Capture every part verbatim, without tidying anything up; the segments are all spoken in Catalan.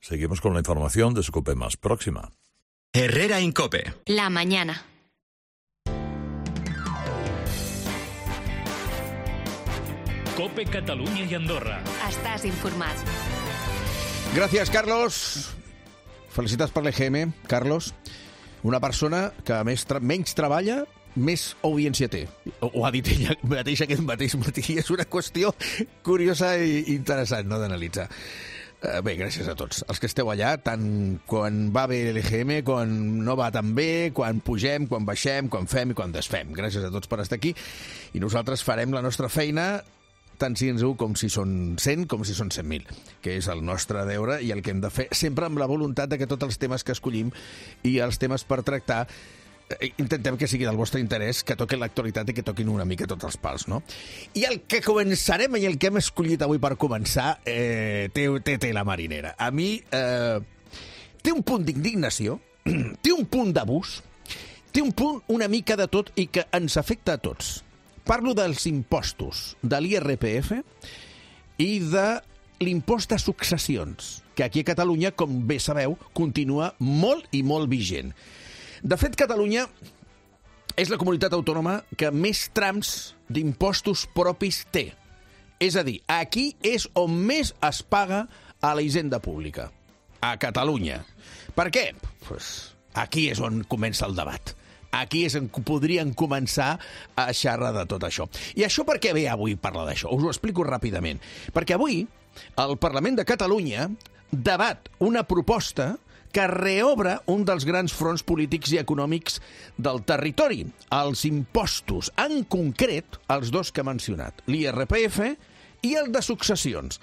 Seguimos con la información de su COPE más próxima. Herrera Incope. La mañana. COPE Catalunya i Andorra. Estàs informat. Gràcies, Carlos. Felicitats per l'E G M, Carlos. Una persona que més tra- menys treballa, més audiència té. Ho, ho ha dit ella mateix aquest mateix matí. És una qüestió curiosa i interessant, no, d'analitzar. Uh, bé, gràcies a tots. Els que esteu allà, tant quan va bé l'E G M, quan no va tan bé, quan pugem, quan baixem, quan fem i quan desfem. Gràcies a tots per estar aquí. I nosaltres farem la nostra feina tant si ens ho com si són cent, com si són cent mil, que és el nostre deure i el que hem de fer, sempre amb la voluntat de que tots els temes que escollim i els temes per tractar intentem que sigui del vostre interès, que toquin l'actualitat i que toquin una mica tots els pals, no? I el que començarem i el que hem escollit avui per començar eh, té, té, té la marinera. A mi eh, té un punt d'indignació, té un punt d'abús, té un punt una mica de tot i que ens afecta a tots. Parlo dels impostos de l'I R P F i de l'impost de successions, que aquí a Catalunya, com bé sabeu, continua molt i molt vigent. De fet, Catalunya és la comunitat autònoma que més trams d'impostos propis té. És a dir, aquí és on més es paga a la hisenda pública. A Catalunya. Per què? Pues aquí és on comença el debat. Aquí és on podrien començar a xerrar de tot això. I això per què ve avui parlar d'això? Us ho explico ràpidament. Perquè avui el Parlament de Catalunya debat una proposta que reobre un dels grans fronts polítics i econòmics del territori, els impostos, en concret els dos que he mencionat, l'I R P F i el de successions.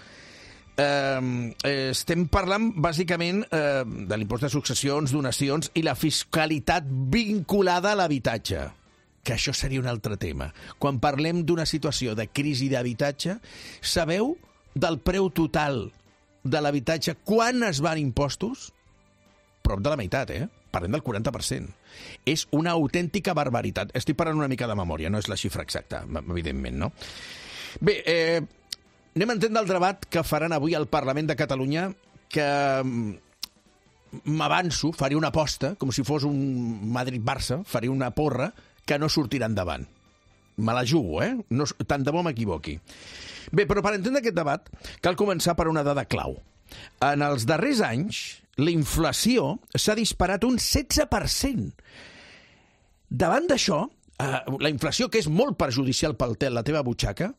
Eh, estem parlant, bàsicament, eh, de l'impost de successions, donacions i la fiscalitat vinculada a l'habitatge, que això seria un altre tema. Quan parlem d'una situació de crisi d'habitatge, sabeu del preu total de l'habitatge quan es van impostos? Prop de la meitat, eh? Parlem del quaranta per cent. És una autèntica barbaritat. Estic parlant una mica de memòria, no és la xifra exacta, evidentment, no? Bé, eh, anem a entendre el debat que faran avui al Parlament de Catalunya, que m'avanço, faré una aposta, com si fos un Madrid-Barça, faré una porra, que no sortirà endavant. Me la jugo, eh? No, tant de bo m'equivoqui. Bé, però per entendre aquest debat cal començar per una dada clau. En els darrers anys, la inflació s'ha disparat un setze per cent. Davant d'això, eh, la inflació, que és molt perjudicial pel tel, la teva butxaca,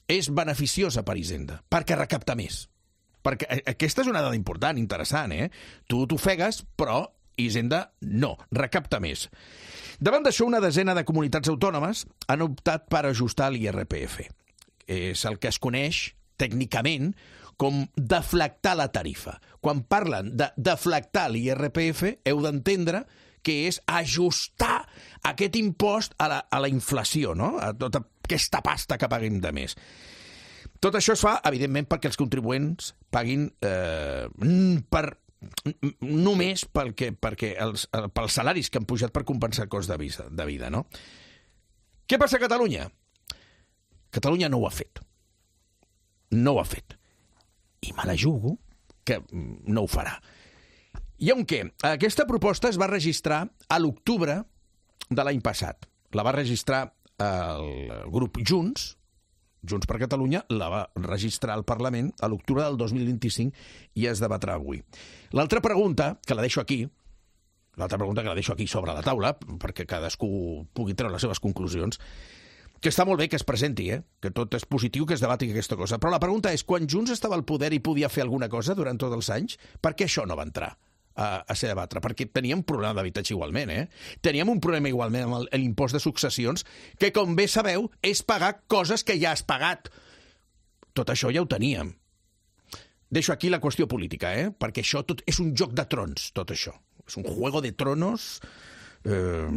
és beneficiosa per Hisenda, perquè recapta més. Perquè aquesta és una dada important, interessant, eh? Tu t'ofegues, però Hisenda no, recapta més. Davant d'això, una desena de comunitats autònomes han optat per ajustar l'I R P F. És el que es coneix tècnicament com deflactar la tarifa. Quan parlen de deflactar l'I R P F, heu d'entendre que és ajustar aquest impost a la, a la inflació, no? A tota aquesta pasta que paguem de més. Tot això es fa, evidentment, perquè els contribuents paguin eh, per, només pel que, perquè els, pels salaris que han pujat per compensar el cost de vida, de vida, no? Què passa a Catalunya? Catalunya no ho ha fet. No ho ha fet. I me la jugo que no ho farà. I on què? Aquesta proposta es va registrar a l'octubre de l'any passat. La va registrar el grup Junts, Junts per Catalunya, la va registrar al Parlament a l'octubre del dos mil vint-i-cinc i es debatrà avui. L'altra pregunta, que la deixo aquí, l'altra pregunta que la deixo aquí sobre la taula, perquè cadascú pugui treure les seves conclusions, que està molt bé que es presenti, eh? Que tot és positiu, que es debati aquesta cosa. Però la pregunta és, quan Junts estava al poder i podia fer alguna cosa durant tots els anys, per què això no va entrar a, a ser debatre? Perquè teníem un problema d'habitatge igualment, eh? Teníem un problema igualment amb l'impost de successions, que, com bé sabeu, és pagar coses que ja has pagat. Tot això ja ho teníem. Deixo aquí la qüestió política, eh? Perquè això tot és un joc de trons, tot això. És un juego de tronos... Eh...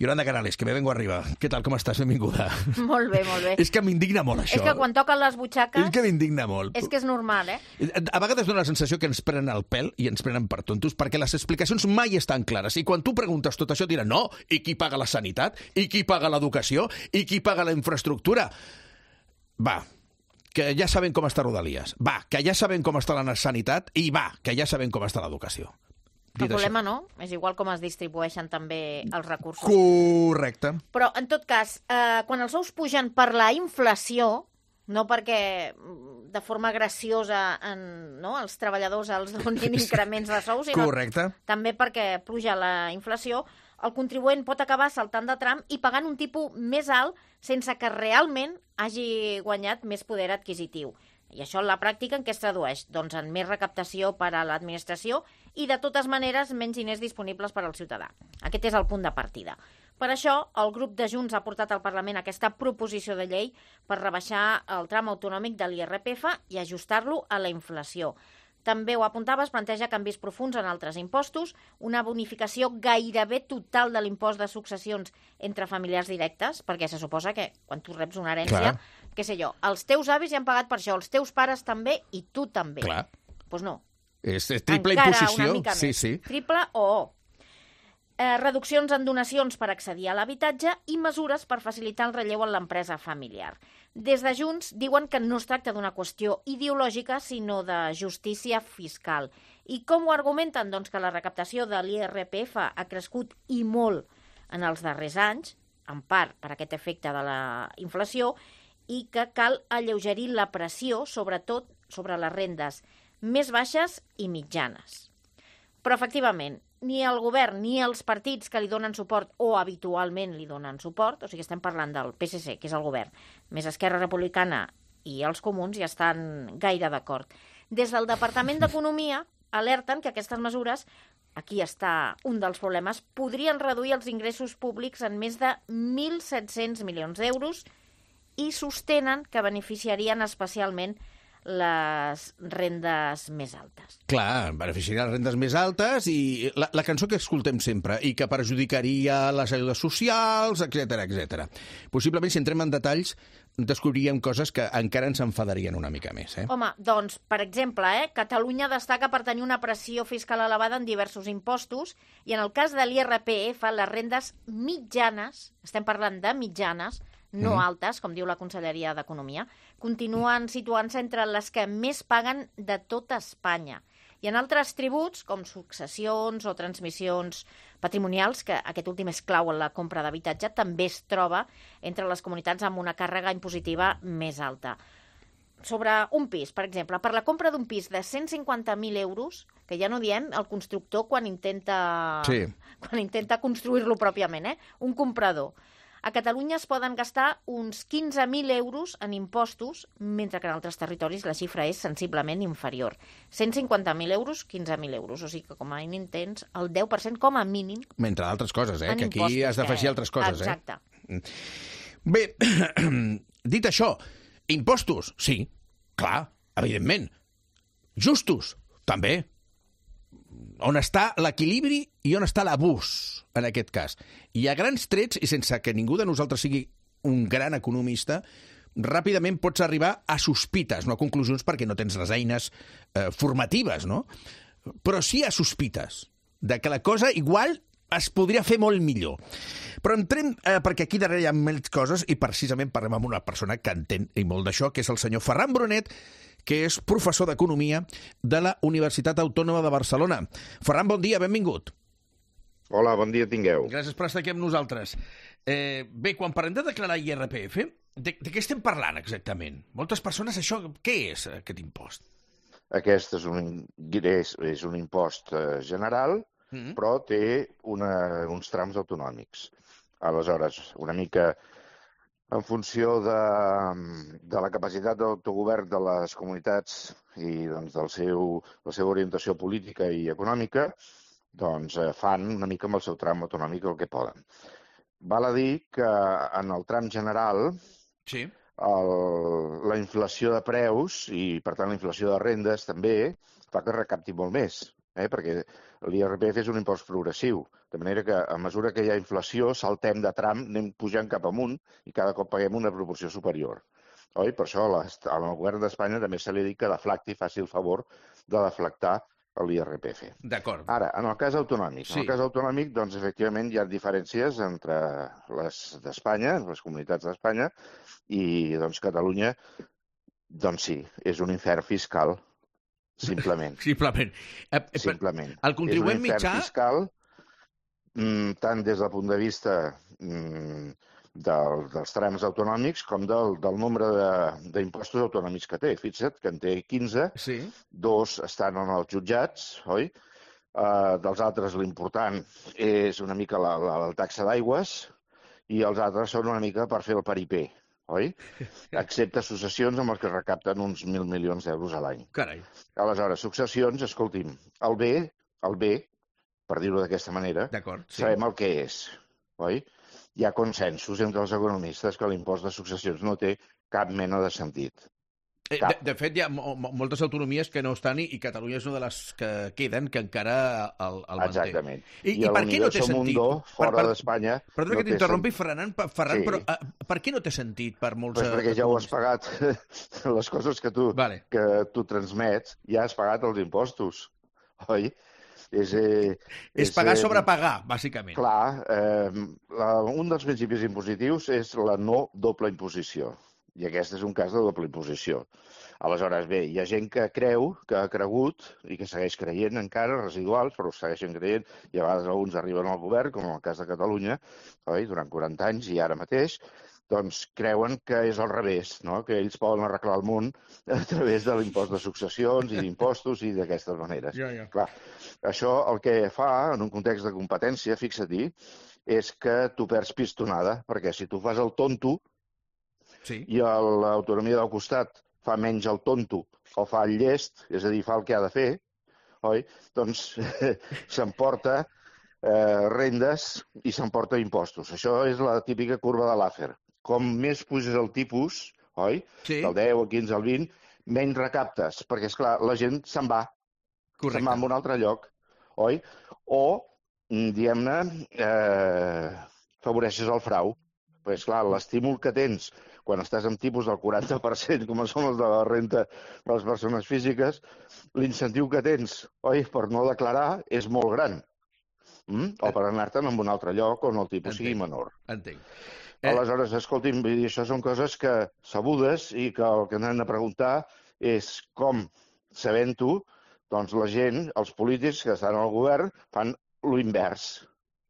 Yolanda Canales, que me vengo arriba. Què tal, com estàs? Benvinguda. Molt bé, molt bé. És que m'indigna molt, això. És que quan toquen les butxaques... És que m'indigna molt. És que és normal, eh? A vegades dona la sensació que ens prenen el pèl i ens prenen per tontos, perquè les explicacions mai estan clares. I quan tu preguntes tot això, et diran, no, i qui paga la sanitat? I qui paga l'educació? I qui paga la infraestructura? Va, que ja sabem com està Rodalies, va, que ja sabem com està la sanitat i va, que ja sabem com està l'educació. El problema no, és igual com es distribueixen també els recursos. Correcte. Però, en tot cas, eh, quan els sous pugen per la inflació, no perquè de forma graciosa en, no, els treballadors els donin increments de sous, sinó Correcte. també perquè pluja la inflació, el contribuent pot acabar saltant de tram i pagant un tipus més alt sense que realment hagi guanyat més poder adquisitiu. I això en la pràctica en què es tradueix? Doncs en més recaptació per a l'administració i, de totes maneres, menys diners disponibles per al ciutadà. Aquest és el punt de partida. Per això, el grup de Junts ha portat al Parlament aquesta proposició de llei per rebaixar el tram autonòmic de l'I R P F i ajustar-lo a la inflació. També ho apuntava, es planteja canvis profuns en altres impostos, una bonificació gairebé total de l'impost de successions entre familiars directes, perquè se suposa que quan tu reps una herència, Clar. què sé jo, els teus avis ja han pagat per això, els teus pares també i tu també. Clar. Doncs pues no. És, és triple Encara imposició. una mica sí, més. sí. Triple o o. Eh, reduccions en donacions per accedir a l'habitatge i mesures per facilitar el relleu en l'empresa familiar. Des de Junts diuen que no es tracta d'una qüestió ideològica, sinó de justícia fiscal. I com ho argumenten? Doncs que la recaptació de l'I R P F ha crescut i molt en els darrers anys, en part per aquest efecte de la inflació, i que cal alleugerir la pressió, sobretot sobre les rendes més baixes i mitjanes. Però, efectivament, ni el govern ni els partits que li donen suport o habitualment li donen suport, o sigui, estem parlant del P S C, que és el govern, més Esquerra Republicana i els comuns, ja estan gaire d'acord. Des del Departament d'Economia alerten que aquestes mesures, aquí està un dels problemes, podrien reduir els ingressos públics en més de mil set-cents milions d'euros i sostenen que beneficiarien especialment les rendes més altes. Clar, beneficiaria les rendes més altes i la, la cançó que escoltem sempre i que perjudicaria les ajudes socials, etcètera, etcètera. Possiblement, si entrem en detalls, descobriríem coses que encara ens enfadarien una mica més. Eh? Home, doncs, per exemple, eh, Catalunya destaca per tenir una pressió fiscal elevada en diversos impostos i en el cas de l'I R P F, les rendes mitjanes, estem parlant de mitjanes, no mm. altes, com diu la Conselleria d'Economia, continuen situant-se entre les que més paguen de tota Espanya. I en altres tributs, com successions o transmissions patrimonials, que aquest últim és clau en la compra d'habitatge, també es troba entre les comunitats amb una càrrega impositiva més alta. Sobre un pis, per exemple, per la compra d'un pis de cent cinquanta mil euros, que ja no diem el constructor quan intenta, Sí. quan intenta construir-lo pròpiament, eh? un comprador. A Catalunya es poden gastar uns quinze mil euros en impostos, mentre que en altres territoris la xifra és sensiblement inferior. cent cinquanta mil euros, quinze mil euros. O sigui que com a mínim tens el deu per cent com a mínim. Mentre d'altres coses, eh? En Que aquí impostos, has d'afegir que- altres coses, Exacte. eh? Bé, dit això, impostos, sí, clar, evidentment. Justos, també. On està l'equilibri i on està l'abús, en aquest cas. I a grans trets, i sense que ningú de nosaltres sigui un gran economista, ràpidament pots arribar a sospites, no a conclusions, perquè no tens les eines eh, formatives, no? Però sí a sospites de que la cosa igual es podria fer molt millor. Però entrem, eh, perquè aquí darrere hi ha més coses, i precisament parlem amb una persona que entén i molt d'això, que és el senyor Ferran Brunet, que és professor d'Economia de la Universitat Autònoma de Barcelona. Ferran, bon dia, benvingut. Hola, bon dia tingueu. Gràcies per estar aquí amb nosaltres. Eh, bé, quan parlem de declarar I R P F, de, de què estem parlant exactament? Moltes persones, això, què és aquest impost? Aquest és un, és, és un impost eh, general, Mm-hmm. però té una, uns trams autonòmics. Aleshores, una mica en funció de, de la capacitat d'autogovern de les comunitats i doncs, del seu, la seva orientació política i econòmica, doncs eh, fan una mica amb el seu tram autonòmic el que poden. Val a dir que en el tram general Sí. el, la inflació de preus i, per tant, la inflació de rendes també fa que recapti molt més, eh? perquè l'I R P F és un impost progressiu, de manera que a mesura que hi ha inflació saltem de tram, anem pujant cap amunt i cada cop paguem una proporció superior. Oi? Per això al govern d'Espanya també se li ha dit que deflacti, faci el favor de deflactar l'I R P F. D'acord. Ara, en el cas autonòmic. Sí. En el cas autonòmic, doncs, efectivament, hi ha diferències entre les d'Espanya, les comunitats d'Espanya, i, doncs, Catalunya Doncs sí, és un infern fiscal, simplement. Simplement. Eh, eh, Simplement. El contribuent és un infern mitjà... fiscal, mm, tant des del punt de vista mm, del, dels trams autonòmics com del, del nombre d'impostos autonòmics que té. Fixa't que en té quinze, Sí. dos estan en els jutjats, oi? Uh, dels altres l'important és una mica la, la, la taxa d'aigües i els altres són una mica per fer el paripé, oi? Excepte successions amb els que recapten uns mil milions d'euros a l'any. Carai. Aleshores, successions, escolti'm, el bé, el bé, per dir-ho d'aquesta manera, D'acord, sí. sabem el que és, oi? Hi ha consensos entre els economistes que l'impost de successions no té cap mena de sentit. Eh, de, de fet, hi ha mo moltes autonomies que no estan i, i Catalunya és una de les que queden que encara el, el manté. Exactament. I, I, i per què no té sentit? Mundo, fora per, per, d'Espanya... Perdona no que t'interrompi, Ferran, Ferran sí. però uh, per què no té sentit per molts... Pues perquè ja ho has pagat. Les coses que tu, vale. que tu transmets, ja has pagat els impostos, oi? És, eh, és pagar eh, sobre pagar, bàsicament. Clar, eh, la, un dels principis impositius és la no doble imposició. I aquest és un cas de doble imposició. Aleshores, bé, hi ha gent que creu, que ha cregut, i que segueix creient encara, residuals, però segueixen creient, i a vegades alguns arriben al govern, com en el cas de Catalunya, oi, durant quaranta anys i ara mateix, doncs creuen que és al revés, no? Que ells poden arreglar el món a través de l'impost de successions i d'impostos i d'aquestes maneres. Ja, ja. Clar, això el que fa, en un context de competència, fixa-t'hi, és que tu perds pistonada, perquè si tu fas el tonto, sí. i l'autonomia del costat fa menys el tonto o fa el llest, és a dir, fa el que ha de fer, oi? Doncs s'emporta eh, rendes i s'emporta impostos. Això és la típica curva de Laffer. Com més puges el tipus, oi? Sí. Del deu, el quinze, el vint, menys recaptes, perquè, esclar, la gent se'n va. Correcte. Se'n va a un altre lloc, oi? O, diguem-ne, eh, favoreixes el frau. Perquè, esclar, l'estímul que tens quan estàs amb tipus del quaranta per cent, com són els de la renta de les persones físiques, l'incentiu que tens, oi, per no declarar és molt gran. Mm? O per anar-te'n a un altre lloc on el tipus Entenc. sigui menor. Entenc. Eh... Aleshores, escolti'm, això són coses que sabudes i que el que hem de preguntar és com, sabent-ho, doncs la gent, els polítics que estan al govern, fan l'invers.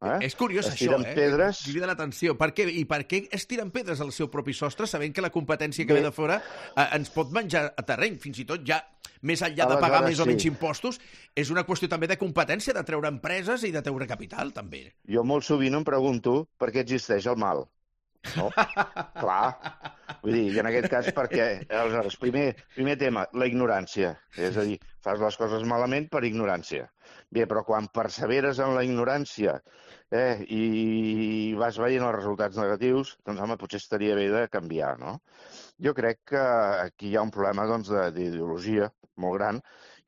Eh? És curiós es això, eh? pedres... Crida l'atenció. Per què? I per què es tiren pedres al seu propi sostre, sabent que la competència que Bé. ve de fora eh, ens pot menjar a terreny, fins i tot ja més enllà de pagar més o menys sí. impostos, és una qüestió també de competència, de treure empreses i de treure capital, també. Jo molt sovint em pregunto per què existeix el mal. No? Clar. Vull dir, i en aquest cas perquè, aleshores, primer, primer tema, la ignorància. És a dir, fas les coses malament per ignorància. Bé, però quan perseveres en la ignorància eh, i vas veient els resultats negatius, doncs, home, potser estaria bé de canviar, no? Jo crec que aquí hi ha un problema doncs, d'ideologia molt gran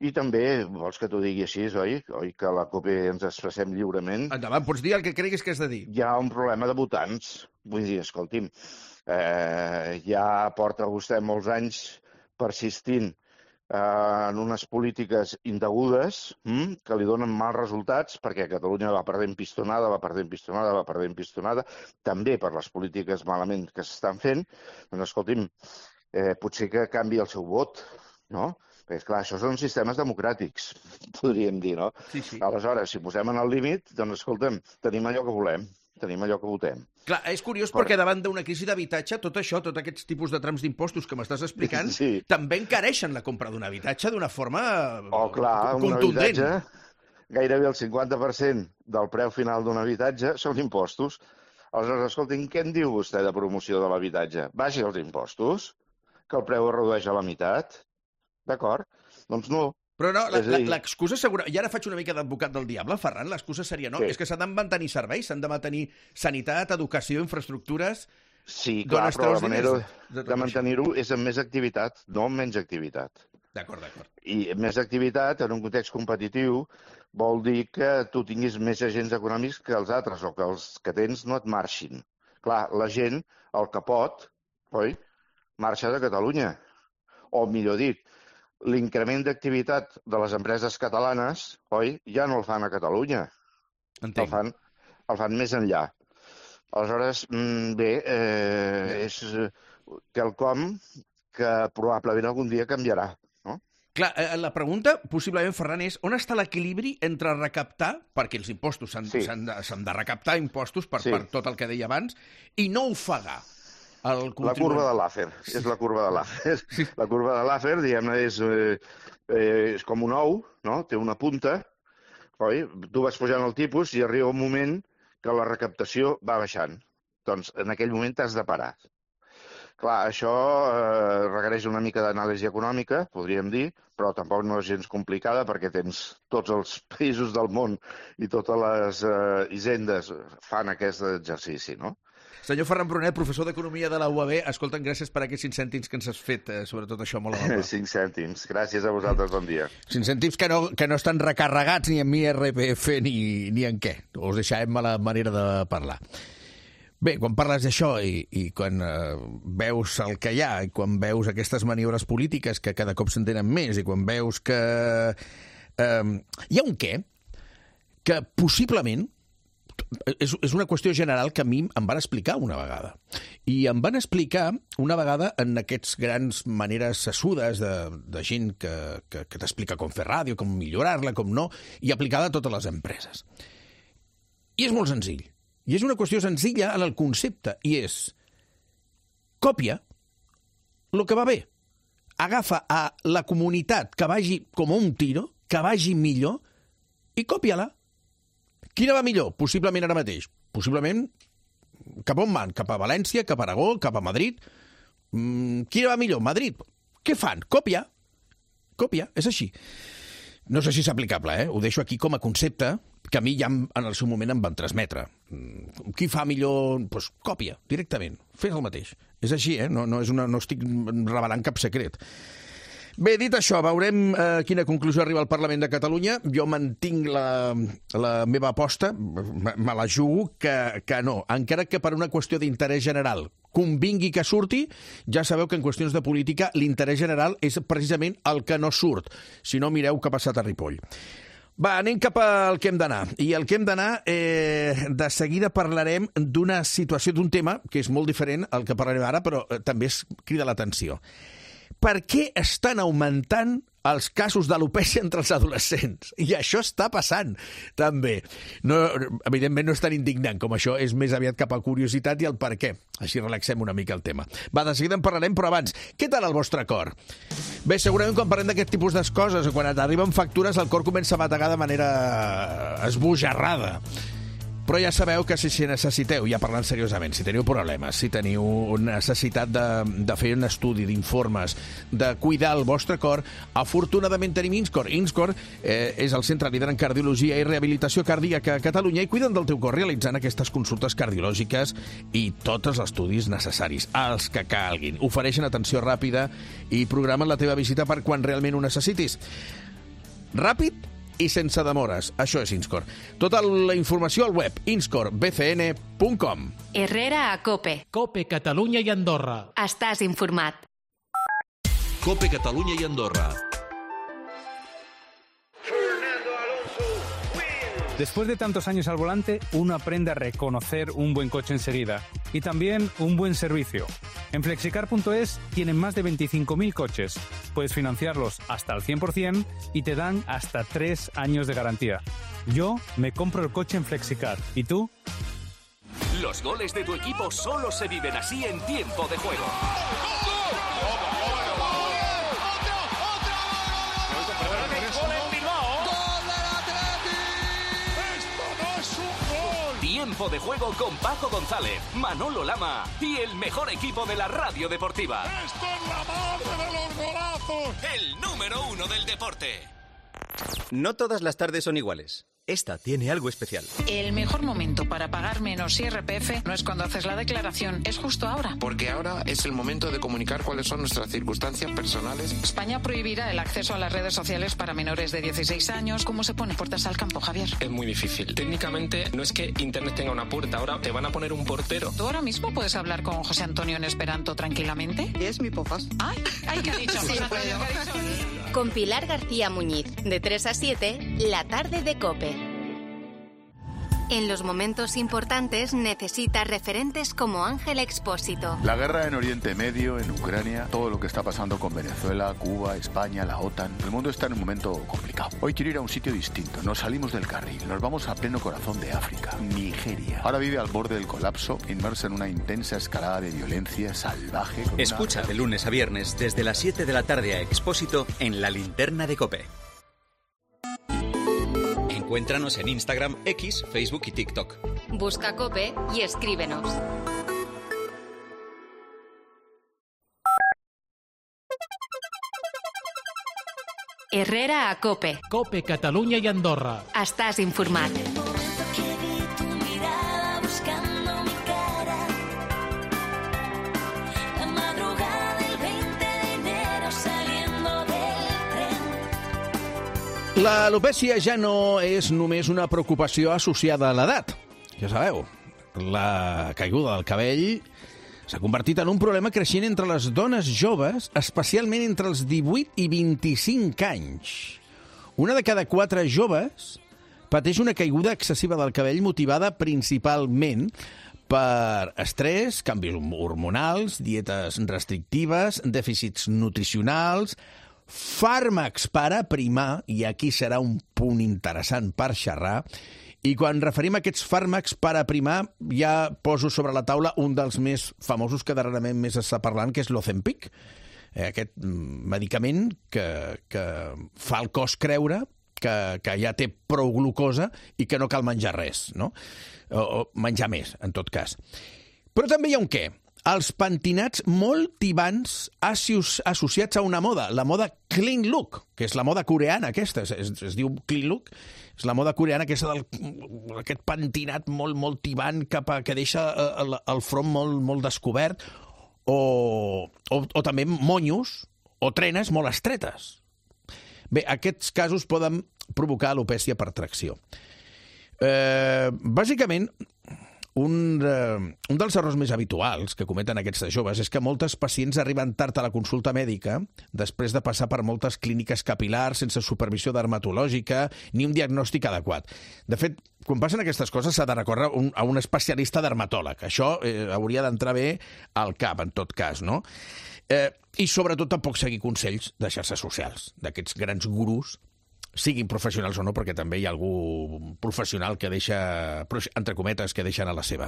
i també, vols que t'ho digui així, oi? Oi que a la COPE ens expressem lliurement? Endavant, pots dir el que creguis que has de dir. Hi ha un problema de votants. Vull dir, escolti'm, eh, ja porta vostè molts anys persistint en unes polítiques indegudes hm, que li donen mals resultats perquè Catalunya va perdent pistonada, va perdent pistonada, va perdent pistonada, també per les polítiques malament que s'estan fent. Doncs, escolti'm, eh, potser que canvi el seu vot, no? Perquè, esclar, això són sistemes democràtics, podríem dir, no? Sí, sí. Aleshores, si posem en el límit, doncs, escolta'm, tenim allò que volem. Tenim allò que votem. Clar, és curiós per... perquè davant d'una crisi d'habitatge, tot això, tots aquests tipus de trams d'impostos que m'estàs explicant, sí. també encareixen la compra d'un habitatge d'una forma oh, clar, contundent. Un habitatge, gairebé el cinquanta per cent del preu final d'un habitatge són impostos. Aleshores, escolti'm, què en diu vostè de promoció de l'habitatge? Baixi els impostos, que el preu es redueix a la meitat. D'acord? Doncs no. Però no, l'excusa segura... I ara faig una mica d'advocat del diable, Ferran, l'excusa seria no, sí. és que s'han de mantenir serveis, s'han de mantenir sanitat, educació, infraestructures... Sí, clar, però la manera de, de mantenir-ho és amb més activitat, no amb menys activitat. D'acord, d'acord. I més activitat, en un context competitiu, vol dir que tu tinguis més agents econòmics que els altres, o que els que tens no et marxin. Clar, la gent, el que pot, oi, marxa de Catalunya. O, millor dit, l'increment d'activitat de les empreses catalanes, oi, ja no el fan a Catalunya. Entenc. El fan, el fan més enllà. Aleshores, bé, eh, és quelcom que probablement algun dia canviarà. No? Clar, la pregunta, possiblement, Ferran, és on està l'equilibri entre recaptar, perquè els impostos s'han sí. de, de recaptar impostos per, sí. per tot el que deia abans, i no ofegar el contribuent. La curva de Laffer, és la curva de Laffer. Sí. La curva de Laffer, diguem-ne, és, eh, eh, és com un ou, no? Té una punta, oi? Tu vas pujant el tipus i arriba un moment que la recaptació va baixant. Doncs en aquell moment t'has de parar. Clar, això eh, requereix una mica d'anàlisi econòmica, podríem dir, però tampoc no és gens complicada perquè tens tots els països del món i totes les eh, hisendes fan aquest exercici, no? Senyor Ferran Brunet, professor d'Economia de la U A B, escolta'm, gràcies per aquests cinc cèntims que ens has fet, eh, sobretot això, molt amable. Cinc cèntims, gràcies a vosaltres, bon dia. Cinc cèntims que no, que no estan recarregats ni en I R P F ni, ni en què. Us deixarem a la manera de parlar. Bé, quan parles d'això i, i quan eh, veus el que hi ha i quan veus aquestes maniobres polítiques que cada cop s'entenen més i quan veus que eh, hi ha un què que possiblement és, és una qüestió general que a mi em van explicar una vegada. I em van explicar una vegada en aquests grans maneres sessudes de, de gent que, que, que t'explica com fer ràdio, com millorar-la, com no, i aplicada a totes les empreses. I és molt senzill. I és una qüestió senzilla en el concepte, i és còpia el que va bé. Agafa a la comunitat que vagi com un tiro, que vagi millor, i còpia-la. Quina va millor? Possiblement ara mateix. Possiblement cap on van? Cap a València, cap a Aragó, cap a Madrid? Mm, quina va millor? Madrid. Què fan? Còpia. Còpia, és així. No sé si és aplicable, eh? Ho deixo aquí com a concepte que a mi ja en el seu moment em van transmetre. Qui fa millor? Doncs pues, còpia, directament. Fes el mateix. És així, eh? No, no, és una, no estic revelant cap secret. Bé, dit això, veurem eh, quina conclusió arriba al Parlament de Catalunya. Jo mantinc la, la meva aposta, me, me la jugo, que, que no. Encara que per una qüestió d'interès general convingui que surti, ja sabeu que en qüestions de política l'interès general és precisament el que no surt. Si no, mireu què ha passat a Ripoll. Va, anem cap al que hem d'anar. I el que hem d'anar, eh, de seguida parlarem d'una situació, d'un tema que és molt diferent al que parlarem ara, però eh, també es crida l'atenció. Per què estan augmentant els casos d'alopècia entre els adolescents? I això està passant, també. No, evidentment no és tan indignant com això, és més aviat cap a curiositat i el per què. Així relaxem una mica el tema. Va, de seguida en parlarem, però abans, què tal el vostre cor? Bé, segurament quan parlem d'aquest tipus de coses, quan t'arriben factures, el cor comença a bategar de manera esbojarrada. Però ja sabeu que si, si necessiteu, ja parlant seriosament, si teniu problemes, si teniu necessitat de, de fer un estudi d'informes, de cuidar el vostre cor, afortunadament tenim Inscor. Inscor eh, és el centre líder en cardiologia i rehabilitació cardíaca a Catalunya i cuiden del teu cor realitzant aquestes consultes cardiològiques i tots els estudis necessaris, els que calguin. Ofereixen atenció ràpida i programen la teva visita per quan realment ho necessitis. Ràpid i sense demores. Això és Inscor. Tota la informació al web inscor b c n punt com. Herrera a COPE. COPE Catalunya i Andorra. Estàs informat. COPE Catalunya i Andorra. Después de tantos años al volante, uno aprende a reconocer un buen coche enseguida y también un buen servicio. En flexicar punto es tienen más de veinticinco mil coches. Puedes financiarlos hasta el cien por ciento y te dan hasta tres años de garantía. Yo me compro el coche en Flexicar. ¿Y tú? Los goles de tu equipo solo se viven así en tiempo de juego. Tiempo de juego con Paco González, Manolo Lama y el mejor equipo de la radio deportiva. ¡Esto es la madre de los golazos! El número uno del deporte. No todas las tardes son iguales. Esta tiene algo especial. El mejor momento para pagar menos I R P F no es cuando haces la declaración, es justo ahora. Porque ahora es el momento de comunicar cuáles son nuestras circunstancias personales. España prohibirá el acceso a las redes sociales para menores de dieciséis años. ¿Cómo se pone puertas al campo, Javier? Es muy difícil. Técnicamente no es que Internet tenga una puerta, ahora te van a poner un portero. ¿Tú ahora mismo puedes hablar con José Antonio en esperanto tranquilamente? Es mi pofas. Ay, ay, ¿qué ha dicho? Sí, José Antonio, ¿qué ha dicho? Con Pilar García Muñiz, de tres a siete, la tarde de COPE. En los momentos importantes necesitas referentes como Ángel Expósito. La guerra en Oriente Medio, en Ucrania, todo lo que está pasando con Venezuela, Cuba, España, la OTAN. El mundo está en un momento complicado. Hoy quiero ir a un sitio distinto. Nos salimos del carril. Nos vamos a pleno corazón de África, Nigeria. Ahora vive al borde del colapso, inmersa en una intensa escalada de violencia salvaje. Escucha una... de lunes a viernes desde las siete de la tarde a Expósito en La Linterna de COPE. Encuéntranos en Instagram, X, Facebook y TikTok. Busca COPE y escríbenos. Herrera a COPE. COPE, Catalunya i Andorra. Estàs informat. L'alopècia ja no és només una preocupació associada a l'edat. Ja sabeu, la caiguda del cabell s'ha convertit en un problema creixent entre les dones joves, especialment entre els divuit i vint-i-cinc anys. Una de cada quatre joves pateix una caiguda excessiva del cabell motivada principalment per estrès, canvis hormonals, dietes restrictives, dèficits nutricionals, fàrmacs per aprimar, i aquí serà un punt interessant per xerrar, i quan referim a aquests fàrmacs per aprimar ja poso sobre la taula un dels més famosos que darrerament més està parlant, que és l'Ozempic, eh, aquest medicament que, que fa el cos creure que, que ja té prou glucosa i que no cal menjar res, no? O, o menjar més, en tot cas. Però també hi ha un què. Els pentinats molt tibants associats a una moda, la moda clean look, que és la moda coreana aquesta, es, es diu clean look, és la moda coreana aquesta del, aquest pentinat molt, molt tibant cap a, que deixa el, el front molt, molt descobert, o, o, o també monyos o trenes molt estretes. Bé, aquests casos poden provocar alopècia per tracció. Eh, bàsicament, Un, uh, un dels errors més habituals que cometen aquests joves és que moltes pacients arriben tard a la consulta mèdica després de passar per moltes clíniques capil·lars sense supervisió dermatològica ni un diagnòstic adequat. De fet, quan passen aquestes coses s'ha de recórrer un, a un especialista dermatòleg. Això eh, hauria d'entrar bé al cap, en tot cas, no? Eh, I sobretot tampoc seguir consells de xarxes socials, d'aquests grans gurus, siguin professionals o no, perquè també hi ha algú professional que deixa, entre cometes, que deixen a la seva.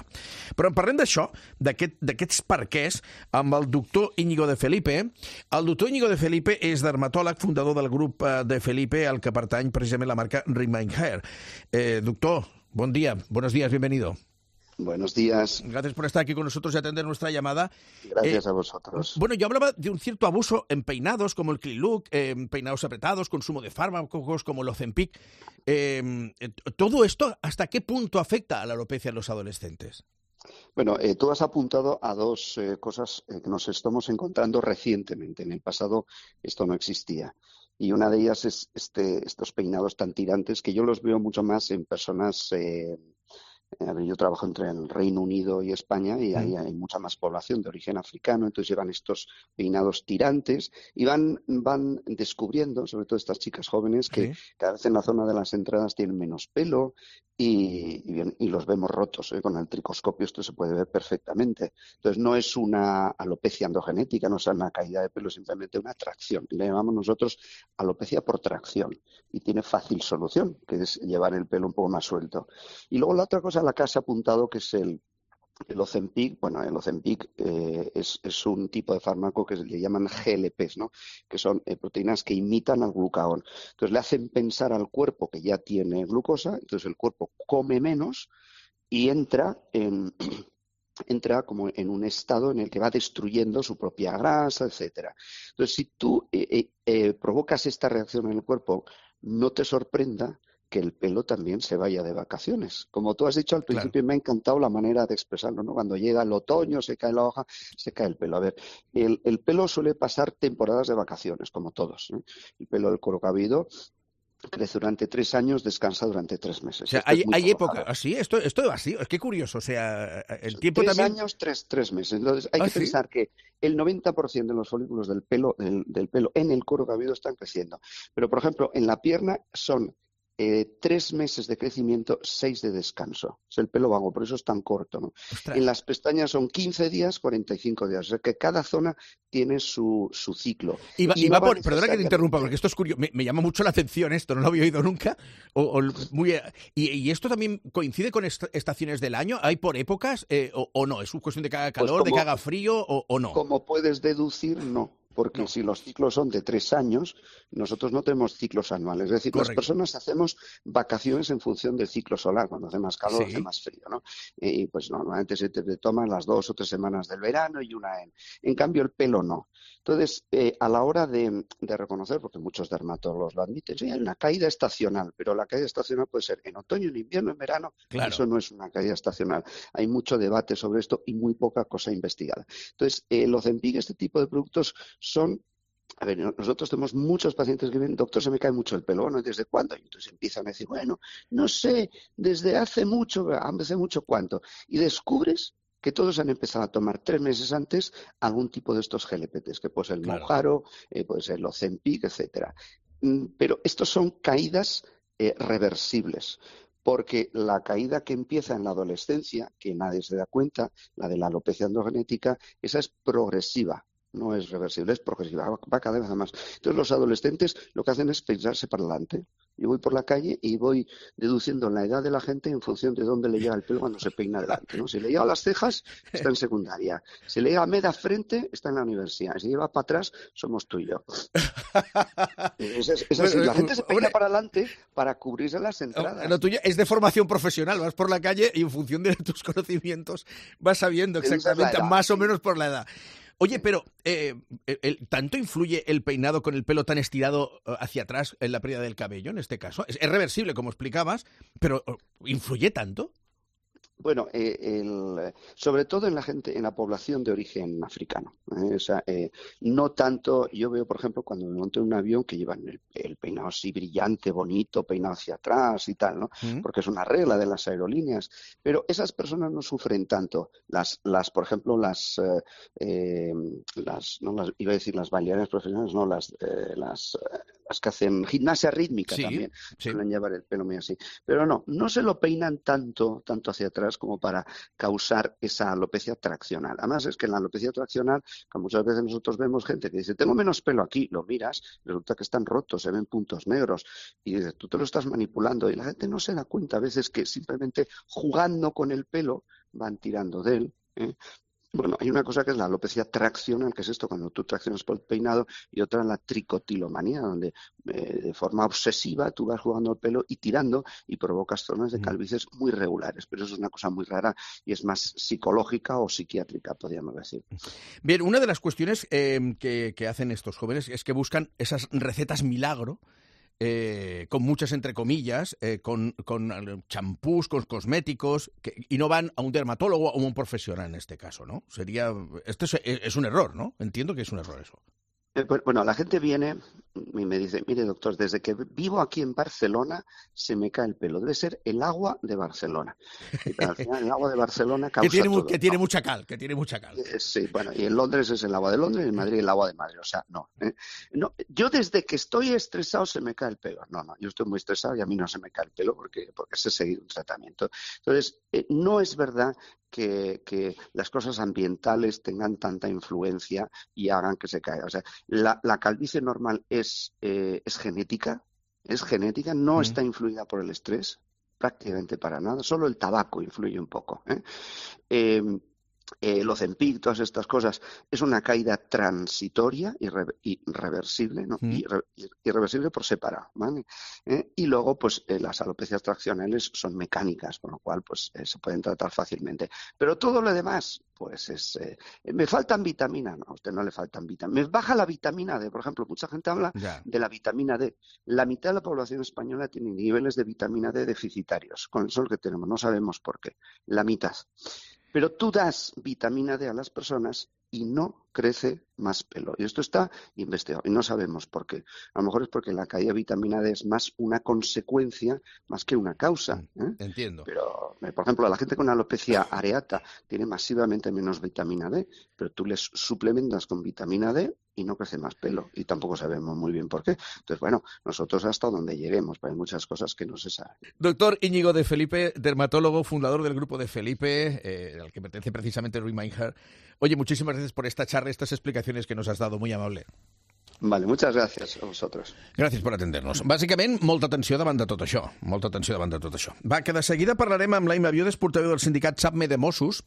Però en parlem d'això, d'aquest, d'aquests perquès, amb el doctor Íñigo de Felipe. El doctor Íñigo de Felipe és dermatòleg, fundador del grup de Felipe, al que pertany precisament la marca Remain Hair. Eh, doctor, bon dia, buenos días, bienvenido. Buenos días. Gracias por estar aquí con nosotros y atender nuestra llamada. Gracias eh, a vosotros. Bueno, yo hablaba de un cierto abuso en peinados como el clean look, eh, peinados apretados, consumo de fármacos como el Ozempic. Eh, ¿Todo esto hasta qué punto afecta a la alopecia en los adolescentes? Bueno, eh, tú has apuntado a dos eh, cosas eh, que nos estamos encontrando recientemente. En el pasado esto no existía. Y una de ellas es este, estos peinados tan tirantes que yo los veo mucho más en personas... Eh, Yo trabajo entre el Reino Unido y España y ahí hay mucha más población de origen africano, entonces llevan estos peinados tirantes y van, van descubriendo, sobre todo estas chicas jóvenes, que sí, cada vez en la zona de las entradas tienen menos pelo y, y, bien, y los vemos rotos. ¿eh? Con el tricoscopio esto se puede ver perfectamente. Entonces no es una alopecia androgenética, no es una caída de pelo, simplemente una tracción. Le llamamos nosotros alopecia por tracción y tiene fácil solución, que es llevar el pelo un poco más suelto. Y luego la otra cosa a la que has apuntado, que es el, el Ozempic. Bueno, el Ozempic eh, es, es un tipo de fármaco que le llaman G L Ps, ¿no? Que son eh, proteínas que imitan al glucagón. Entonces le hacen pensar al cuerpo que ya tiene glucosa, entonces el cuerpo come menos y entra en... entra como en un estado en el que va destruyendo su propia grasa, etcétera. Entonces, si tú eh, eh, eh, provocas esta reacción en el cuerpo, no te sorprenda que el pelo también se vaya de vacaciones. Como tú has dicho al principio, claro, me ha encantado la manera de expresarlo, ¿no? Cuando llega el otoño, se cae la hoja, se cae el pelo. A ver, el, el pelo suele pasar temporadas de vacaciones, como todos, ¿eh? El pelo del cuero cabelludo crece durante tres años, descansa durante tres meses. O sea, hay, hay época así, esto, esto es así, es que curioso, o sea, el tiempo tres también... Tres años, tres, tres meses. Entonces hay ¿Ah, que sí? pensar que el noventa por ciento de los folículos del pelo, del, del pelo en el cuero cabelludo están creciendo. Pero, por ejemplo, en la pierna son eh, tres meses de crecimiento, seis de descanso. Es el pelo vago, por eso es tan corto, ¿no? En las pestañas son quince días, cuarenta y cinco días. O sea que cada zona tiene su, su ciclo. Y va, y y no va va por, perdona que te interrumpa, necesariamente- porque esto es curioso. Me, me llama mucho la atención esto, no lo había oído nunca. O, o muy, y, y esto también coincide con est- estaciones del año. ¿Hay por épocas eh, o, o no? ¿Es una cuestión de que haga Pues calor, de como- que haga frío o, o no? Como puedes deducir, no. Porque si los ciclos son de tres años, nosotros no tenemos ciclos anuales. Es decir, Correcto. las personas hacemos vacaciones en función del ciclo solar. Cuando hace más calor, Sí. hace más frío, ¿no? Y pues normalmente se te toman las dos o tres semanas del verano y una en... En cambio, el pelo no. Entonces, eh, a la hora de, de reconocer, porque muchos dermatólogos lo admiten, sí, hay una caída estacional, pero la caída estacional puede ser en otoño, en invierno, en verano. Claro. Eso no es una caída estacional. Hay mucho debate sobre esto y muy poca cosa investigada. Entonces, eh, el Ozempic, este tipo de productos son... A ver, nosotros tenemos muchos pacientes que vienen, doctor, se me cae mucho el pelo. Bueno, ¿y desde cuándo? Y entonces empiezan a decir, bueno, no sé, desde hace mucho, hace mucho cuánto. Y descubres que todos han empezado a tomar tres meses antes algún tipo de estos G L P Ts, que puede ser el Claro. Mounjaro, eh, puede ser el Ozempic, etcétera. Mm, Pero estos son caídas eh, reversibles. Porque la caída que empieza en la adolescencia, que nadie se da cuenta, la de la alopecia androgenética, esa es progresiva. No es reversible, es progresiva, va- va cada vez a más. Entonces los adolescentes lo que hacen es pensarse para adelante. Yo voy por la calle y voy deduciendo la edad de la gente en función de dónde le llega el pelo cuando se peina adelante, ¿no? Si le llega a las cejas, está en secundaria. Si le llega a media frente, está en la universidad. Si lleva para atrás, somos tú y yo. Es, es- es así. La gente se peina para adelante para cubrirse las entradas. Lo tuyo es de formación profesional. Vas por la calle y en función de tus conocimientos vas sabiendo Esa es la exactamente, edad, más o sí. menos por la edad. Oye, pero eh, el- el- ¿tanto influye el peinado con el pelo tan estirado eh, hacia atrás en la pérdida del cabello en este caso? Es, es reversible, como explicabas, pero eh, ¿influye tanto? Bueno, eh, el- sobre todo en la gente, en la población de origen africano. ¿eh? O sea, eh, no tanto, yo veo, por ejemplo, cuando me monto en un avión que llevan el, el peinado así brillante, bonito, peinado hacia atrás y tal, ¿no? Mm. Porque es una regla de las aerolíneas. Pero esas personas no sufren tanto. Las, las por ejemplo, las, eh, eh, las, no las, iba a decir las bailarinas profesionales, no, las, eh, las, eh, las que hacen gimnasia rítmica Sí, también. sí. Suelen llevar el pelo muy así. Pero no, no se lo peinan tanto, tanto hacia atrás como para causar esa alopecia traccional. Además es que en la alopecia traccional, que muchas veces nosotros vemos gente que dice, tengo menos pelo aquí, lo miras, resulta que están rotos, se ven puntos negros, y dices, tú te lo estás manipulando, y la gente no se da cuenta a veces que simplemente jugando con el pelo van tirando de él, ¿eh? Bueno, hay una cosa que es la alopecia traccional, que es esto cuando tú traccionas por el peinado, y otra la tricotilomanía, donde eh, de forma obsesiva tú vas jugando el pelo y tirando y provocas zonas de calvicies muy regulares. Pero eso es una cosa muy rara y es más psicológica o psiquiátrica, podríamos decir. Bien, una de las cuestiones eh, que, que hacen estos jóvenes es que buscan esas recetas milagro, eh, con muchas entre comillas, eh, con, con champús, con cosméticos, que, y no van a un dermatólogo o a un profesional en este caso, ¿no? Sería, esto es, es un error, ¿no? Entiendo que es un error eso. Eh, pues, Bueno, la gente viene y me dice, mire doctor, desde que vivo aquí en Barcelona se me cae el pelo. Debe ser el agua de Barcelona. Y, pero al final el agua de Barcelona causa Que tiene, mu- todo, que tiene ¿no? mucha cal, que tiene mucha cal. Eh, Sí, bueno, y en Londres es el agua de Londres y en Madrid el agua de Madrid, o sea, no, ¿eh? No, yo desde que estoy estresado se me cae el pelo. No, no, yo estoy muy estresado y a mí no se me cae el pelo porque, porque sé seguir un tratamiento. Entonces, eh, no es verdad que, que las cosas ambientales tengan tanta influencia y hagan que se caiga. O sea, la, la calvicie normal es, eh, es genética, es genética, no Mm. está influida por el estrés, prácticamente para nada, solo el tabaco influye un poco, ¿eh? Eh, eh, el Ozempic, todas estas cosas, es una caída transitoria, irre- irreversible, ¿no? Mm. Irre- irreversible por separado, ¿vale? ¿Eh? Y luego, pues, eh, las alopecias traccionales son mecánicas, con lo cual, pues, eh, se pueden tratar fácilmente. Pero todo lo demás, pues, es... eh, me faltan vitaminas, no, a usted no le faltan vitaminas. Me baja la vitamina D, por ejemplo, mucha gente habla Ya. de la vitamina D. La mitad de la población española tiene niveles de vitamina D deficitarios, con el sol que tenemos, no sabemos por qué, la mitad. Pero tú das vitamina D a las personas y no crece más pelo. Y esto está investigado y no sabemos por qué. A lo mejor es porque la caída de vitamina D es más una consecuencia más que una causa. ¿eh? Entiendo. Pero, por ejemplo, la gente con alopecia areata tiene masivamente menos vitamina D, pero tú les suplementas con vitamina D y no crece más pelo. Y tampoco sabemos muy bien por qué. Entonces, bueno, nosotros hasta donde lleguemos, pero hay muchas cosas que no se saben. Doctor Íñigo de Felipe, dermatólogo, fundador del grupo de Felipe, eh, al que pertenece precisamente Remind. Oye, muchísimas gracias por esta charla, estas explicacions que nos has dado, muy amable. Vale, muchas gracias a vosotros. Gràcies per atender-nos. Bàsicament, molta atenció davant de tot això. Molta atenció davant de tot això. Va, que de seguida parlarem amb l'Aima Biodes, portaveu del sindicat SAPME de Mossos,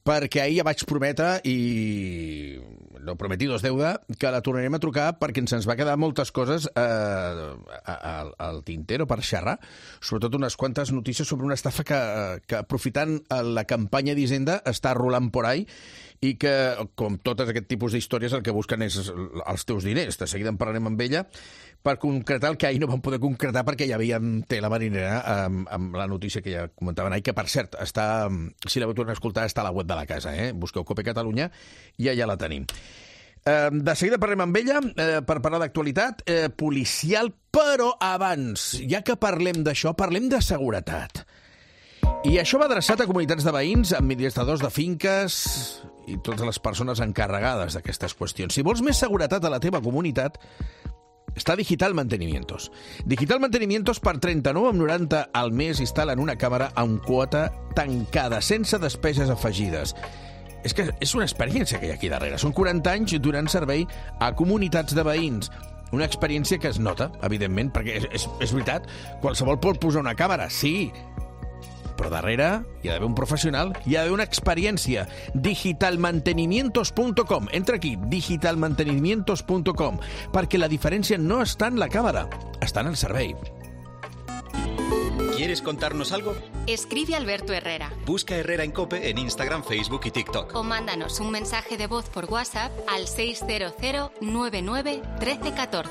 perquè ahir ja vaig prometre, i no prometido es deuda, que la tornarem a trucar perquè ens va quedar moltes coses eh, al, al tintero per xerrar, sobretot unes quantes notícies sobre una estafa que, que aprofitant la campanya d'Hisenda està rolant por ahí i que, com totes aquest tipus d'històries, el que busquen és els teus diners. De seguida en parlarem amb ella per concretar el que ahir no vam poder concretar perquè ja havíem té la marinera amb, amb la notícia que ja comentaven ahir, que per cert, està, si la vau tornar a escoltar, està a la web de la casa, eh? Busqueu Cope Catalunya i allà la tenim. Eh, de seguida parlem amb ella eh, per parlar d'actualitat eh, policial, però abans, ja que parlem d'això, parlem de seguretat. I això va adreçat a comunitats de veïns, administradors de finques i totes les persones encarregades d'aquestes qüestions. Si vols més seguretat a la teva comunitat, està Digital Mantenimientos. Digital Mantenimientos per trenta-nou coma noranta al mes instal·len una càmera amb quota tancada, sense despeses afegides. És que és una experiència que hi ha aquí darrere. Són quaranta anys donant servei a comunitats de veïns. Una experiència que es nota, evidentment, perquè és, és, és veritat, qualsevol pot posar una càmera, sí, però darrere hi ha d'haver un professional, hi ha d'haver una experiència. digital mantenimientos punto com. Entra aquí, digital mantenimientos punto com, perquè la diferència no està en la càmera, està en el servei. ¿Quieres contarnos algo? Escribe Alberto Herrera. Busca Herrera en COPE en Instagram, Facebook y TikTok. O mándanos un mensaje de voz por WhatsApp al seis cero cero nueve nueve uno tres uno cuatro.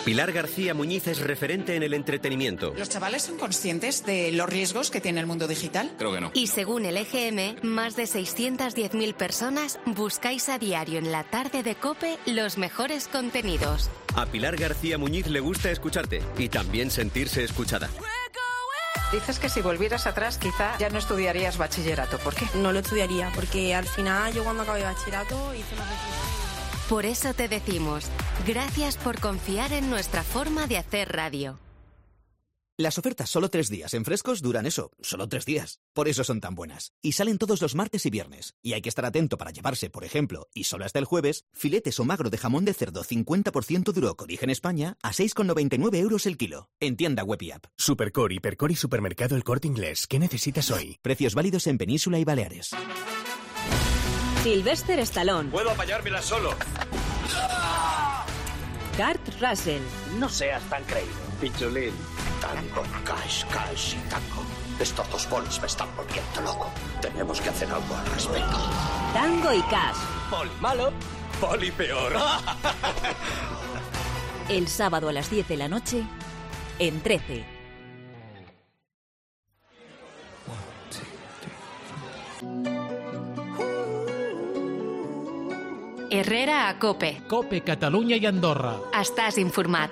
Pilar García Muñiz es referente en el entretenimiento. ¿Los chavales son conscientes de los riesgos que tiene el mundo digital? Creo que no. Y según el E G M, más de seiscientas diez mil personas buscáis a diario en la tarde de COPE los mejores contenidos. A Pilar García Muñiz le gusta escucharte y también sentirse escuchada. Dices que si volvieras atrás quizá ya no estudiarías bachillerato. ¿Por qué? No lo estudiaría, porque al final yo cuando acabé bachillerato hice una reflexión. Por eso te decimos, gracias por confiar en nuestra forma de hacer radio. Las ofertas solo tres días en Frescos duran eso, solo tres días. Por eso son tan buenas. Y salen todos los martes y viernes. Y hay que estar atento para llevarse, por ejemplo, y solo hasta el jueves, filetes o magro de jamón de cerdo cincuenta por ciento duro con origen España a seis con noventa y nueve euros el kilo. En tienda web y app. Supercore, Hipercore y Supermercado El Corte Inglés. ¿Qué necesitas hoy? Precios válidos en Península y Baleares. Sylvester Stallone. Puedo apañármela solo. Kurt Russell. No seas tan creído, pichulín. Tango, cash, cash y tango. Estos dos polis me están volviendo loco. Tenemos que hacer algo al respecto. Tango y Cash. Poli malo, poli peor. El sábado a las diez de la noche, en trece. Herrera a COPE. COPE Catalunya i Andorra. Estàs informat.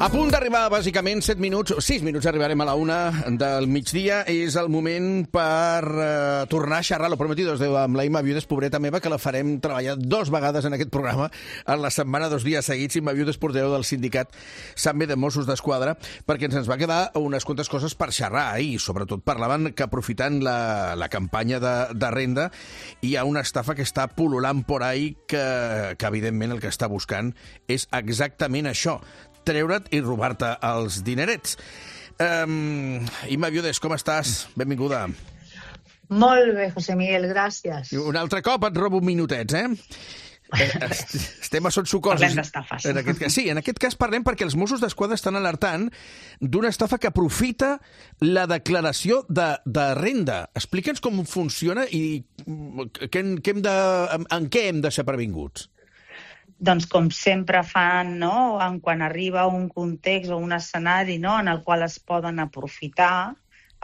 A punt d'arribar, bàsicament, set minuts, sis minuts arribarem a la una del migdia. És el moment per uh, tornar a xerrar, lo prometido, amb la Imma Viudes, pobreta meva, que la farem treballar dos vegades en aquest programa, en la setmana, dos dies seguits. Imma Viudes, portaveu del sindicat SAME de Mossos d'Esquadra, perquè ens ens va quedar unes quantes coses per xerrar ahir. Sobretot parlaven que, aprofitant la, la campanya de, de renda, hi ha una estafa que està pul·lulant por ahí, que, que evidentment el que està buscant és exactament això, treure't i robar-te els dinerets. Um, Imma Viudes, com estàs? Benvinguda. Molt bé, José Miguel, gràcies. Un altre cop et robo minutets, eh? Estem a sot sucoses. Parlem d'estafes. En aquest cas, sí, en aquest cas parlem perquè els Mossos d'Esquadra estan alertant d'una estafa que aprofita la declaració de, de renda. Explica'ns com funciona i que, que hem de, en, en què hem de ser previnguts. Doncs com sempre fan, no? En quan arriba un context o un escenari, no? En el qual es poden aprofitar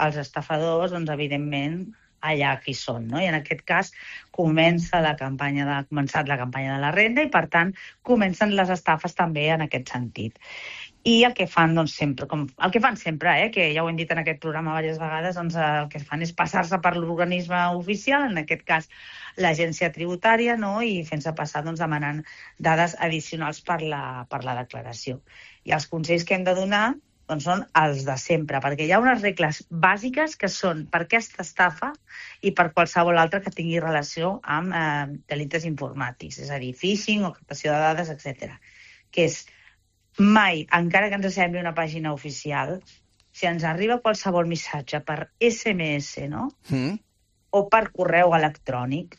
els estafadors, doncs evidentment allà qui són, no? I en aquest cas comença la campanya de, ha començat la campanya de la renda i per tant comencen les estafes també en aquest sentit. I el que fan, doncs, sempre, com el que fan sempre, eh, que ja ho hem dit en aquest programa diverses vegades, doncs el que fan és passar-se per l'organisme oficial, en aquest cas l'agència tributària, no? I fent-se passar, doncs, demanant dades addicionals per la, per la declaració. I els consells que hem de donar doncs, són els de sempre, perquè hi ha unes regles bàsiques que són per aquesta estafa i per qualsevol altra que tingui relació amb eh, delictes informàtics, és a dir, phishing o captació de dades, etcètera. Que és mai, encara que ens sembli una pàgina oficial, si ens arriba qualsevol missatge per esse eme esse, no? Mm. O per correu electrònic,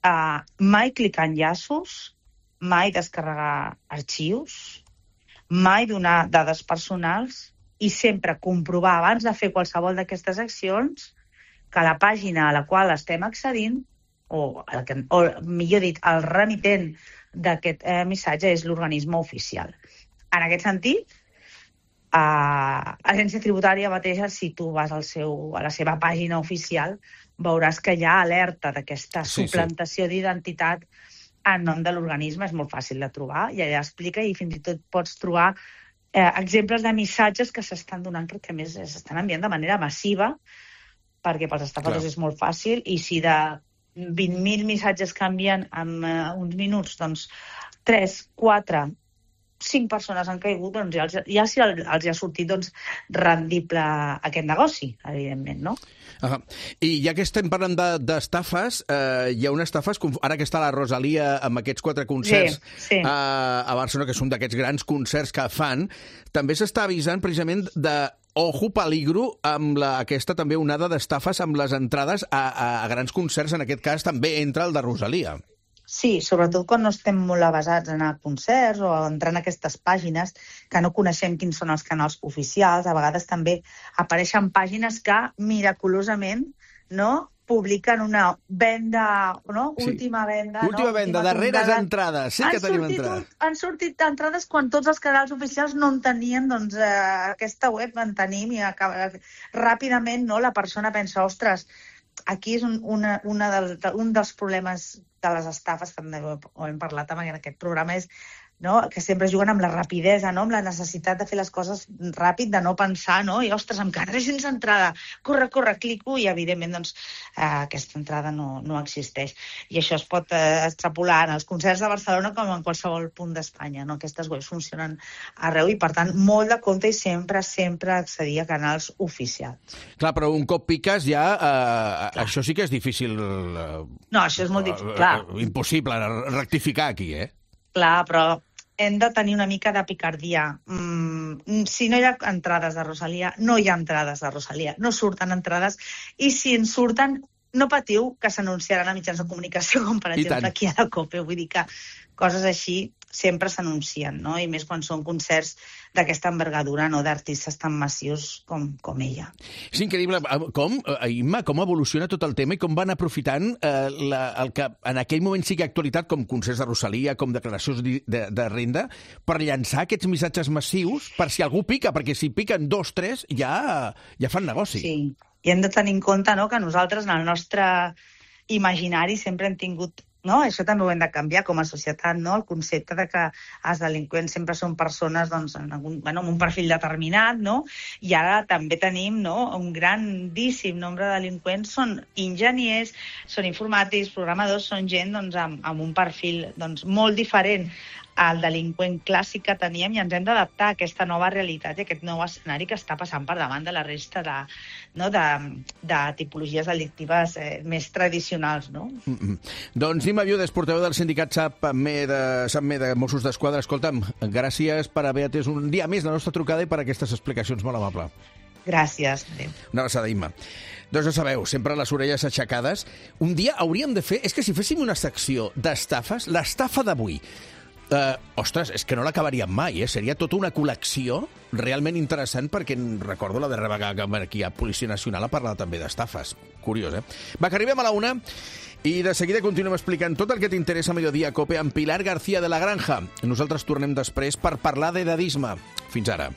uh, mai clicar enllaços, mai descarregar arxius, mai donar dades personals i sempre comprovar abans de fer qualsevol d'aquestes accions que la pàgina a la qual estem accedint, o, el que, o millor dit, el remitent d'aquest eh, missatge és l'organisme oficial. En aquest sentit, eh, l'agència tributària mateixa, si tu vas al seu, a la seva pàgina oficial, veuràs que hi ha alerta d'aquesta sí, suplantació sí. d'identitat en nom de l'organisme. És molt fàcil de trobar i allà explica i fins i tot pots trobar eh, exemples de missatges que s'estan donant perquè a més s'estan enviant de manera massiva perquè pels estafadors Clar. És molt fàcil i si de vint mil missatges que envien en eh, uns minuts, doncs tres, quatre, cinc persones han caigut, doncs ja, els, ja si els ha sortit doncs, rendible aquest negoci, evidentment, no? Uh-huh. I ja que estem parlant d'estafes, de, eh, hi ha unes estafes, ara que està la Rosalia amb aquests quatre concerts sí, sí. Eh, a Barcelona, que són d'aquests grans concerts que fan, també s'està avisant precisament de ojo peligro amb la, aquesta també onada d'estafes amb les entrades a, a, a grans concerts, en aquest cas també entra el de Rosalia. Sí, sobretot quan no estem molt avasats en anar a concerts o entrar en aquestes pàgines que no coneixem quins són els canals oficials. A vegades també apareixen pàgines que miraculosament no, publiquen una venda, no? Sí. Última venda. Última no? venda, Última darreres comprada. entrades. Sí que tenim entrades. Han sortit entrades quan tots els canals oficials no en tenien, doncs eh, aquesta web en tenim i acaba, ràpidament no, la persona pensa, ostres, aquí és un, una, una del, un dels problemes de les estafes, que ho hem parlat en aquest programa, és no, que sempre juguen amb la rapidesa, no, amb la necessitat de fer les coses ràpid, de no pensar, no? I, ostres, em quedaré sense entrada. Corre, corre, clico i, evidentment, doncs, eh, aquesta entrada no, no existeix. I això es pot eh, extrapolar en els concerts de Barcelona com en qualsevol punt d'Espanya, no? Aquestes webs funcionen arreu i, per tant, molt de compte i sempre, sempre accedir a canals oficials. Clar, però un cop piques ja, eh, això sí que és difícil... Eh, no, això és molt difícil, clar. Eh, impossible rectificar aquí, eh? Clar, però hem de tenir una mica de picardia. Mm, si no hi ha entrades de Rosalia, no hi ha entrades de Rosalia. No surten entrades. I si en surten, no patiu que s'anunciaran a mitjans de comunicació, com per exemple aquí a la COPE. Vull dir que coses així sempre s'anuncien, no? I més quan són concerts d'aquesta envergadura, no, d'artistes tan massius com, com ella. És increïble com, Imma, com evoluciona tot el tema i com van aprofitant eh, la, el que en aquell moment sigui actualitat, com concerts de Rosalia, com declaracions de, de, de renda, per llançar aquests missatges massius per si algú pica, perquè si piquen dos, tres, ja, ja fan negoci. Sí, i hem de tenir en compte, no, que nosaltres en el nostre imaginari sempre hem tingut No? Això també ho hem de canviar com a societat, no? El concepte de que els delinqüents sempre són persones doncs, en algun, bueno, amb un perfil determinat, no? I ara també tenim, no, un grandíssim nombre de delinqüents són enginyers, són informàtics, programadors, són gent doncs, amb, amb un perfil doncs, molt diferent al delinqüent clàssic que teníem i ens hem d'adaptar a aquesta nova realitat i a aquest nou escenari que està passant per davant de la resta de, no, de, de tipologies delictives eh, més tradicionals. No? Mm-hmm. Doncs Nima Viudes, portaveu del sindicat SAPME de, SAPME de Mossos d'Esquadra. Escolta'm, gràcies per haver atès un dia més la nostra trucada i per aquestes explicacions molt amable. Gràcies. Adéu. Una abraçada, Imma. Doncs ja sabeu, sempre les orelles aixecades. Un dia hauríem de fer... És que si féssim una secció d'estafes, l'estafa d'avui... Uh, ostres, és que no l'acabaríem mai, eh? Seria tota una col·lecció realment interessant perquè recordo la darrera vegada que aquí a Policia Nacional ha parlat també d'estafes. Curiós, eh? Va, que arribem a la una i de seguida continuem explicant tot el que t'interessa a Mediodía Cope amb Pilar García de la Granja. Nosaltres tornem després per parlar d'edadisme. Fins ara.